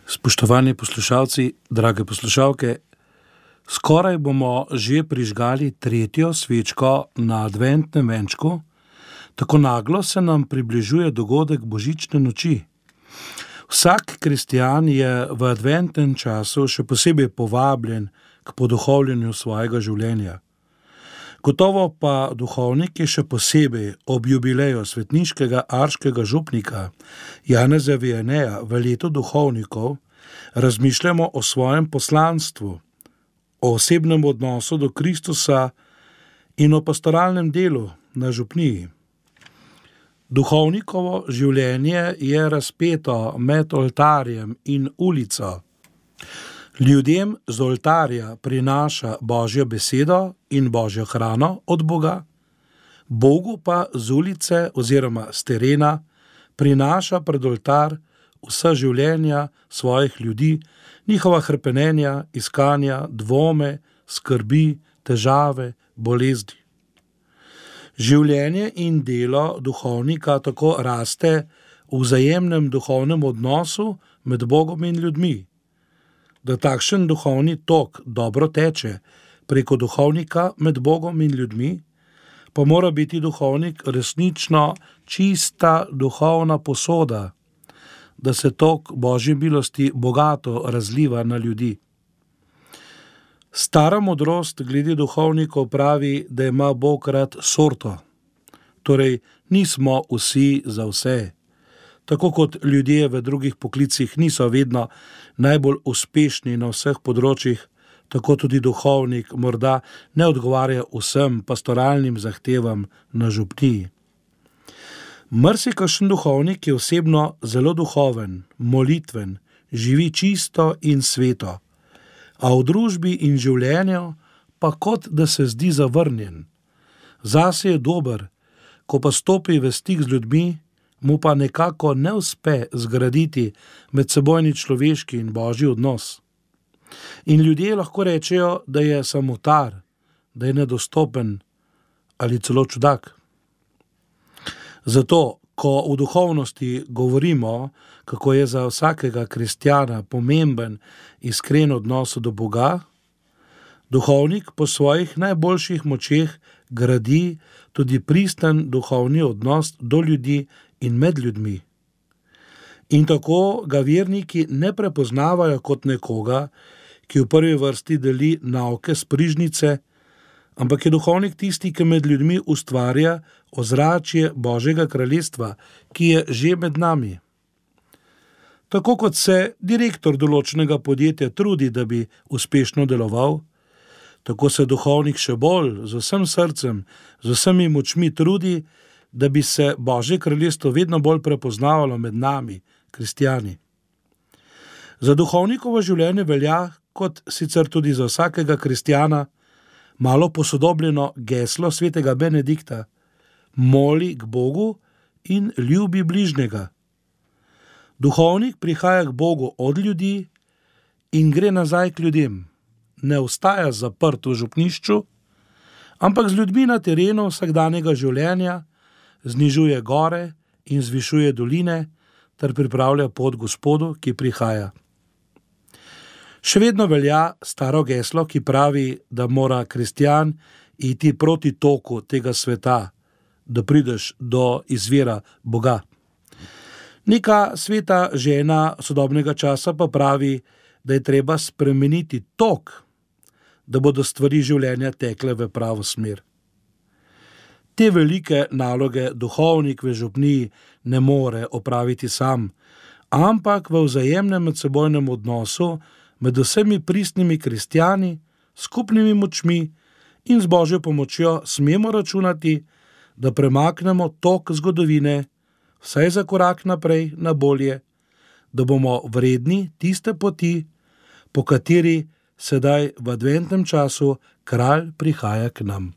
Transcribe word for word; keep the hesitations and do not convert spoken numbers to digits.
Spoštovani poslušalci, drage poslušalke, skoraj bomo že prižgali tretjo svečko na adventnem venčku, tako naglo se nam približuje dogodek božične noči. Vsak kristjan je v adventnem času še posebej povabljen k poduhovljenju svojega življenja. Gotovo pa duhovniki še posebej ob jubileju svetniškega arškega župnika Janeza Vianeja v letu duhovnikov razmišljamo o svojem poslanstvu, o osebnem odnosu do Kristusa in o pastoralnem delu na župniji. Duhovnikovo življenje je razpeto med oltarjem in ulico. Ljudem z oltarja prinaša Božjo besedo in Božjo hrano od Boga, Bogu pa z ulice oziroma s terena prinaša pred oltar vsa življenja svojih ljudi, njihova hrepenenja, iskanja, dvome, skrbi, težave, bolezni. Življenje in delo duhovnika tako raste v vzajemnem duhovnem odnosu med Bogom in ljudmi. Da takšen duhovni tok dobro teče preko duhovnika med Bogom in ljudmi, pa mora biti duhovnik resnično čista duhovna posoda, da se tok Božje milosti bogato razliva na ljudi. Stara modrost glede duhovnikov pravi, da ima Bog rad sorto, torej nismo vsi za vse. Tako kot ljudje v drugih poklicih niso vedno najbolj uspešni na vseh področjih, tako tudi duhovnik morda ne odgovarja vsem pastoralnim zahtevam na župniji. Marsikakšen duhovnik je osebno zelo duhoven, molitven, živi čisto in sveto, a v družbi in življenju pa kot da se zdi zavrnjen. Zase je dober, ko pa stopi v stik z ljudmi, mu pa nekako ne uspe zgraditi medsebojni človeški in božji odnos. In ljudje lahko rečejo, da je samotar, da je nedostopen ali celo čudak. Zato, ko v duhovnosti govorimo, kako je za vsakega kristjana pomemben iskren odnos do Boga, duhovnik po svojih najboljših močeh gradi tudi pristen duhovni odnos do ljudi in med ljudmi. In tako ga verniki ne prepoznavajo kot nekoga, ki v prvi vrsti deli nauke s prižnice, ampak je duhovnik tisti, ki med ljudmi ustvarja ozračje Božjega kraljestva, ki je že med nami. Tako kot se direktor določenega podjetja trudi, da bi uspešno deloval, tako se duhovnik še bolj, z vsem srcem, z vsemi močmi trudi, da bi se Božje kraljestvo vedno bolj prepoznavalo med nami, kristjani. Za duhovnikovo življenje velja, kot sicer tudi za vsakega kristjana, malo posodobljeno geslo svetega Benedikta: moli k Bogu in ljubi bližnjega. Duhovnik prihaja k Bogu od ljudi in gre nazaj k ljudem. Ne ostaja zaprt v župnišču, ampak z ljudmi na terenu vsakdanjega življenja znižuje gore in zvišuje doline ter pripravlja pot Gospodu, ki prihaja. Še vedno velja staro geslo, ki pravi, da mora kristjan iti proti toku tega sveta, da prideš do izvira Boga. Neka sveta žena sodobnega časa pa pravi, da je treba spremeniti tok, da bodo stvari življenja tekle v pravo smer. Te velike naloge duhovnik v župniji ne more opraviti sam, ampak v vzajemnem medsebojnem odnosu med vsemi pristnimi kristjani, skupnimi močmi in z Božjo pomočjo smemo računati, da premaknemo tok zgodovine vsaj za korak naprej na bolje, da bomo vredni tiste poti, po kateri sedaj v adventnem času kralj prihaja k nam.